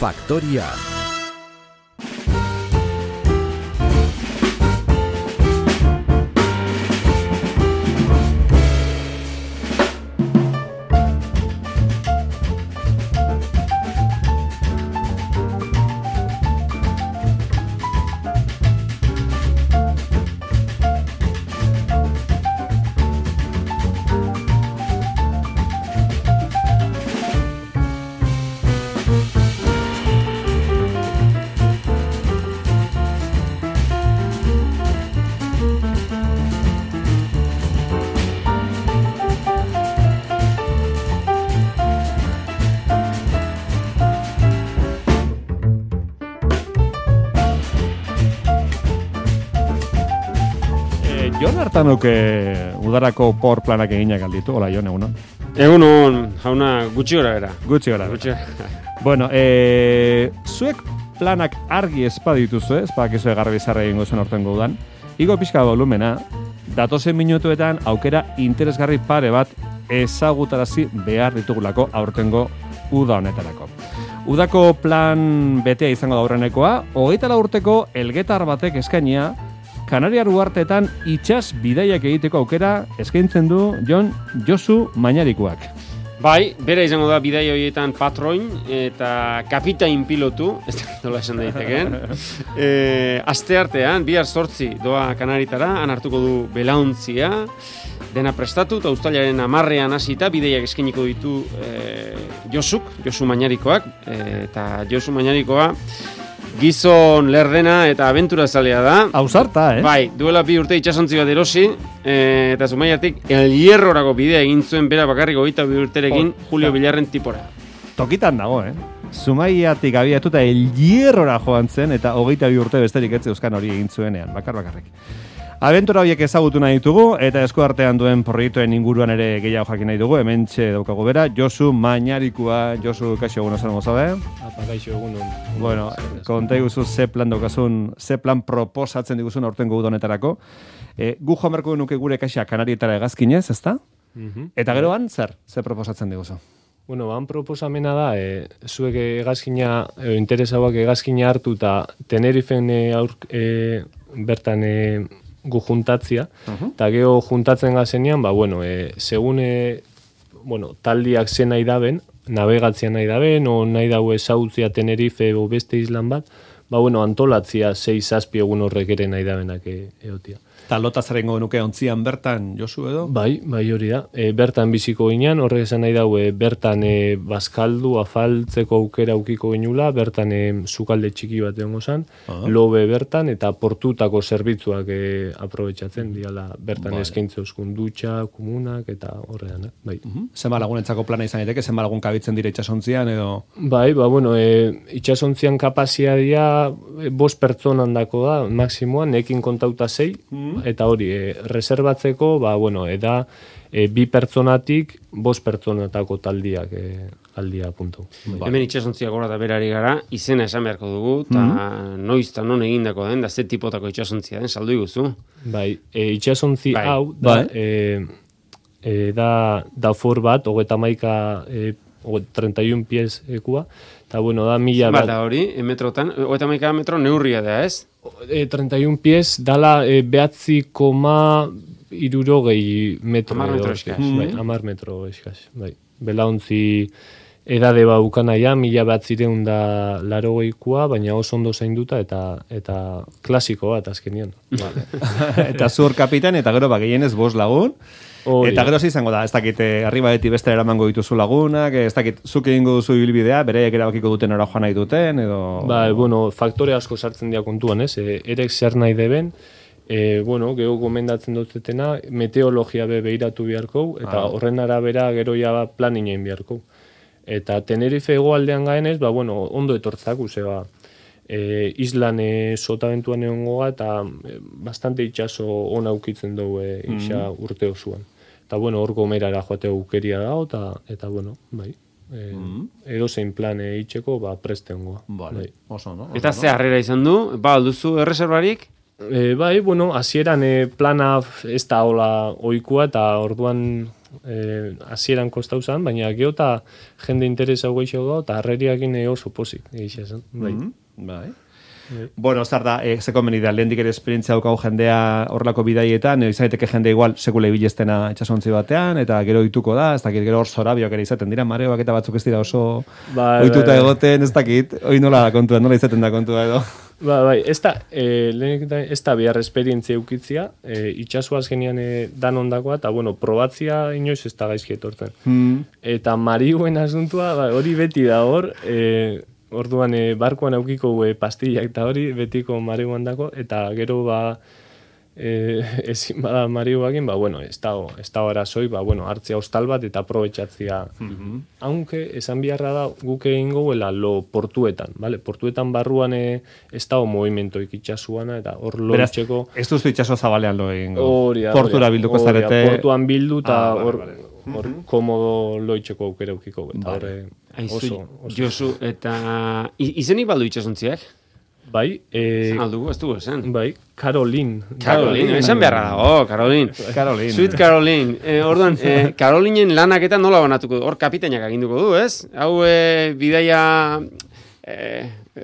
Faktoria. Jon hartanuke udarako por planak eginak alditu, hola Jon, egunon? Egunon, jauna, gutxi gora era. Gutxi gora. Bueno, zuek planak argi espadituzu, espadakizue garbi zarra egingo zuen ortengo udan. Igo pixka volumena, datozen minutuetan aukera interesgarri pare bat ezagutarazi behar ditugulako aurtengo uda honetarako. Udako plan betea izango da aurrenekoa, 24 urteko elgetar batek eskainia, Kanariar uharteetan itsas bidaiak egiteko aukera eskaintzen du Josu Mañarikoak. Bai, bera izango da bidaia horietan patroin eta kapitain pilotu, ez da nola esan daiteken. Asteartean, bihar 8 doa Kanaritara, han hartuko du belaontzia, dena prestatu, eta uztailaren 10ean hasita bidaiak eskainiko ditu Josu Mañarikoak, eta Josu Mañarikoa gizon lerdena eta abenturazalea da. Ausarta, Bai, duela 2 urte itsasontzi bat erosi, eta Zumaiatik El Hierrorako bidea egin zuen bera bakarrik 22 urterekin Julio Villarren tipora. Tokitan dago, Zumaiatik abiatuta El Hierrora joan zen, eta 22 urte besterik ez euskan hori egin zuenean, bakarrik. Abentura horiek ezagutu nahi ditugu, eta esku artean duen proiektuen inguruan ere gehiago jakin nahi dugu, hementxe daukagu bera, Josu Mañarikoa. Josu, kaixo egun osan gozabe? Kaixo egun. Bueno, konta iguzu ze plan daukazun, ze plan proposatzen diguzun aurtengo uda honetarako. Gu joan berko nuke gure kaxa Kanarietara hegazkinez, ezta? Eta geroan, ze proposatzen diguzu? Bueno, han proposamena da, zuek hegazkina, interesauak hegazkina hartu eta Tenerifen bertan gu juntatzia, eta geho juntatzen gazenean, segun taldiak zen nahi daben, navegatzia nahi daben, o nahi daue zautzia Tenerife o beste islan bat, antolatzia 6-7 egun horrek ere nahi dabenak eotia. Eta lotazaren nuke ontzian bertan, Josu edo? Bai hori da. Bertan biziko ginean, horrek esan nahi daue, bertan bazkaldu, afaltzeko aukera ukiko genula, bertan sukalde txiki bat egongo zan, lobe bertan, eta portutako zerbitzuak aprobetxatzen, diala bertan eskaintze euskun dutxa, komunak, eta horrean. Bai. Zenba lagunentzako plana izan daiteke, zenba lagun kabitzen dira itxasontzian edo? Bai, itxasontzian kapazia dira 5 pertsonan dako da, maksimoan, nekin kontauta 6, eta hori, reservatzeko, da 2 pertsonatik 5 pertsonatako taldiak aldia puntu. Hemen itxasontzia gora da berari gara, izena esan beharko dugu, eta noiz eta non egindako den, da ze tipotako itxasontzia den, saldu iguzu. Bai, itxasontzi hau, da for bat, 31 pies ekua, eta da 1000 bat. Bata hori, metrotan, 31 metro neurria da, ez? 31 pies dala 9,60 metro. 10 metro eskaz. 10 metro eskaz. Belauntzi edade baukanaia, 1980koa, baina oso ondo zainduta eta klasiko bat azkenian. Eta zur kapitan, eta gero gehienez 5 lagun. Eta gero izango da, ez dakit, arribaeti beste eramango dituzu lagunak, ez dakit, zuk egingo duzu ibilbidea, bereiek erabakiko duten ora joan nahi duten, edo... Faktore asko sartzen dira kontuan, ez? Erek zer nahi deben, geho gomendatzen dutetena, meteologia behiratu beharko, eta horren arabera gero ja plan inen beharko. Eta Tenerife hegoaldean gaenez, ondo etortzak, islan sotabentuan egongoa, eta bastante itxaso ona ukitzen dugu isa urte osoan. Eta hor gomerara joate aukeria dago, eta edo zein plan itxeko, prestengoa. Oso, no? Eta ze harrera izan du, alduzu erreserbarik? Hasieran plana ez da hola oikua, eta orduan hasieran kostau zan, baina geota jende interesa goixo gau, eta harreriakin oso posik, egizia zen. Bai. Bai. Bueno, zer da, zeko meni da, lehendik ere esperientzia daukau jendea horrelako bidaietan, izan daiteke jende igual sekule bilestena itxasontzi batean, eta gero ituko da, ez dakit, gero hor zorabioak ere izaten dira, mareoak eta batzuk ez dira oso ohituta egoten, ez dakit, hoi nola izaten da kontua edo. Bai, ez da behar esperientzia eukitzia, itxasuaz genian dan ondakoa, eta bueno, probatzia inoiz ez da gaizki etortzen. Eta mariuen asuntua, hori beti da hor, orduan barkoan aukiko pastillak eta hori betiko marihuan dako, eta gero ezin bada marihuakin, bueno, ez da arazoi, bueno, hartzia hostal bat eta aprobetxatzia. Aunque, esan biharra da, guk egin goguela lo portuetan, vale? Portuetan barruan ez da movimentoik itxasuana, eta hor lo itxeko... Ez duzu itxaso zabalean lo egin gogu. Portura bilduko zarete... Portuan bildu, eta hor komodo lo itxeko aukera eukiko. Josu, eta izenik baldu itxasontziak? Bai. Aldugu, ez dugu esan. Bai, Caroline, esan beharra da, Caroline. Sweet Caroline. Orduan, Carolinen lanak eta nola banatuko du? Hor kapitainak aginduko du, ez? Hau bidaia...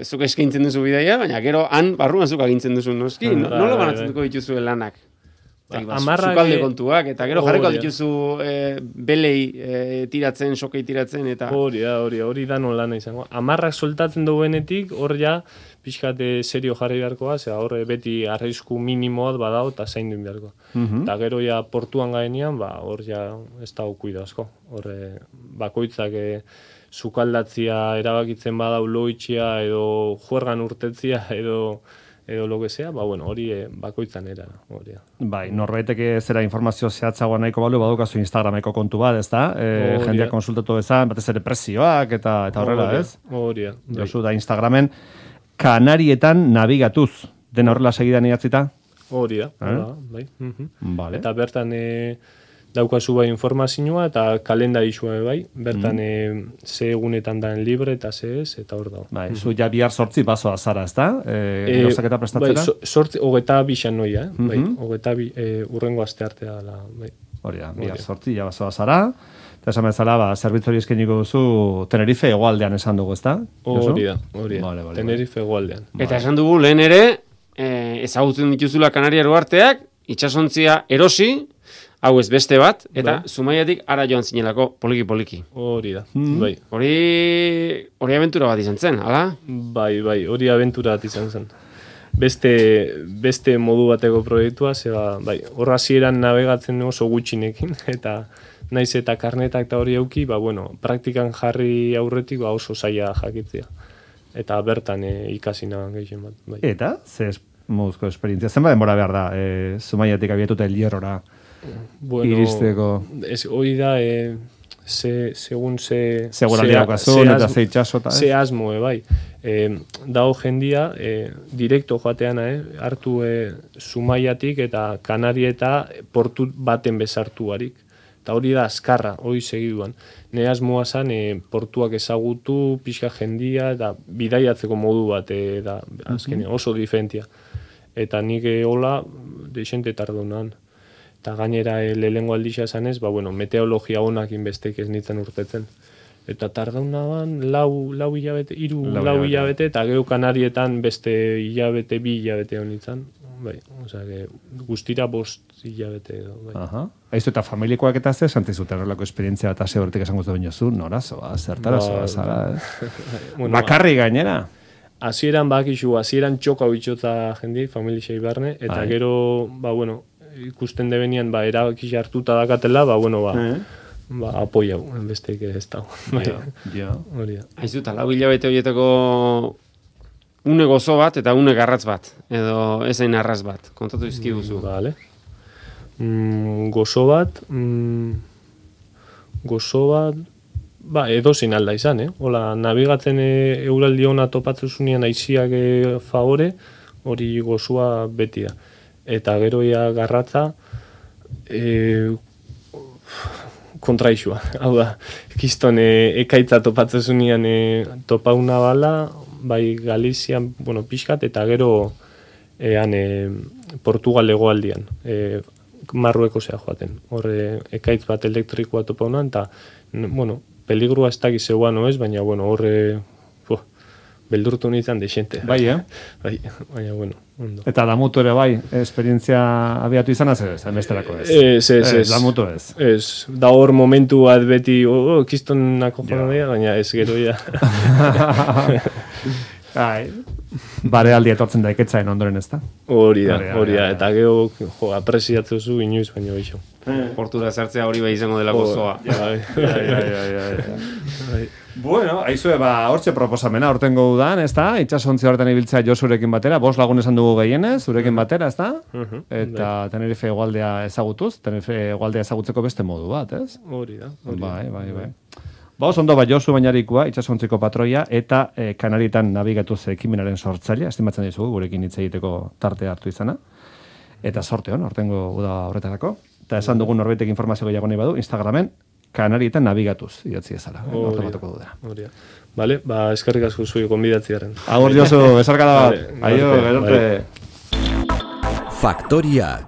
zuk eskaintzen duzu bidaia, baina gero han barruan zuk agintzen duzu noski. Nola banatuko dituzu lanak? Zukalde kontuak, eta gero jarriko dituzu belei tiratzen, sokei tiratzen, eta... Hori da nola nahi izango. Amarrak soltatzen duenetik, hor ja, pixkat serio jarri beharkoa, zera hor beti arrisku minimoat badao, eta zain duen beharko. Eta gero ja portuan gaenean, hor ja ez da okuido asko. Hor bakoitzak sukaldatzia erabakitzen badau loitxia, edo juergan urtetzia, edo lo que sea, bueno, hori bakoitzan era. Bai, norbaiteke zera informazio zehatzagoa nahiko balu, badukazu Instagrameko kontu bat, ez da? Jendeak konsultatu bezan, batez ere presioak, eta horrela, ez? Horia. Josu da Instagramen, Kanarietan nabigatuz, den horrela segidan idatzita? Horia, bai. Vale. Eta bertan daukazu bai informazioa eta kalendarizua bai, bertan ze egunetan daen libre eta ze ez, eta hor dago. Bai, zu ja bihar 8 basoa zara, ez da? Gauzaketa prestatzera? Bai, 22 noia, bai, 22 urrengo aste artea da, bai. Hori da, bihar 8 ja basoa zara, eta esan bezala, zerbitzu hori eskainiko duzu Tenerife hegoaldean esan dugu, ez da? Hori da, Tenerife hegoaldean. Eta esan dugu lehen ere, ezagutzen dituzula Kanariar uharteak, itsasontzia erosi, hau ez beste bat, eta Zumaiatik ara joan zinelako poliki-poliki. Hori da, bai. Hori abentura bat izan zen, ala? Bai, hori abentura bat izan zen. Beste modu bateko proiektua, bai, horra hasieran navegatzen oso gutxinekin, eta naiz eta karnetak eta hori euki, bueno, praktikan jarri aurretik oso zaila jakitzea. Eta bertan ikasi nahan gehien bat. Bai. Eta, moduzko esperientzia, zenba denbora behar da, Zumaiatik abiatuta Elierrora iristeko? Hori da, segun ze... Seguraldia okazun, eta ze itxasota, ze asmo, bai. Dago jendia, direkto joateana, hartu Zumaiatik eta Kanarieta portu baten bezartu harik. Eta hori da azkarra, hori segiduan. Ne asmoa zan, portuak ezagutu, pixka jendia, eta bidaiatzeko modu bat, da, azken, oso diferentia. Eta nik hola, deixente tardunan. Eta gainera lehengo aldixea zanez, bueno, meteorologia honak inbestek ez nintzen urtetzen. Eta tardaunaban lau hilabete, lau hilabete, eta gehu Kanarietan beste hilabete, 2 hilabete honitzen. Bai, osea, guztira 5 hilabete edo. Bai. Aizu eta familikoak eta ze, santizute horrelako esperientzia eta ze horretik esango zuen jozu, norazoa, zertarazoa, zara. Bakarri gainera. Hasieran txoka bitxotza jendi, familixei barne, eta gero, bueno, ikusten debenian, erabaki hartuta dakatela, apoiau, bestek ez dago. Aizu, eta 4 hilabete horietako une gozo bat eta une garratz bat, edo ezain arraz bat, kontatu izkiguzu. Vale. Gozo bat, edozein alda izan, Hola, nabigatzen euraldi hona topatzuzunean aiziak favore, hori gozoa beti da. Eta gero garratza, kontraixua. Hau da, kiston ekaitza topatzuzunean topauna bala, bai Galizian, pixkat, eta gero Portugal hegoaldian. marrueko zea joaten. Horre, ekaitz bat elektrikoa topa honan, eta, bueno, peligrua ez dakiz zeuan ez, baina, bueno, horre, beldurtu nintzen dexente. Bai, Bai, baina, bueno, ondo. Eta damutu ere bai, esperientzia abiatu izan ez, besterako ez. Ez. Damutu ez. Ez, da hor momentu bat beti, kistonako joan dira, baina ez gero ja. Barealdi etortzen da iketzaen ondoren ez da. Hori da, eta gero apresiatzu zu inoiz baino geixo. Portura sartzea hori bai izango dela gozoa. Bueno, aizue, hortxe proposamena, hortengo udan, ez da? Itxasontzi horretan ibiltzea Josurekin batera, 5 lagun esan dugu gehienez, zurekin batera, ez da? Eta Tenerife hegoaldea ezagutuz, Tenerife hegoaldea ezagutzeko beste modu bat, ez? Hori da. Bai. Ondo Josu Bainarikua, Itsasontziko patroia, eta Kanarietan nabigatuz ekimenaren sortzailea, estimatzen dizugu, gurekin hitz egiteko tarte hartu izana. Eta sorte hon, hortengo uda horretarako. Eta esan dugun norbaitek informazio gehiago nahi badu, Instagramen, Kanarietan nabigatuz, idatzi ezala. Hortatuko dudera. Vale, eskerrik asko zui gonbidatziaren. Agur Josu, esarkada bat. Aio, gerarte. Faktoria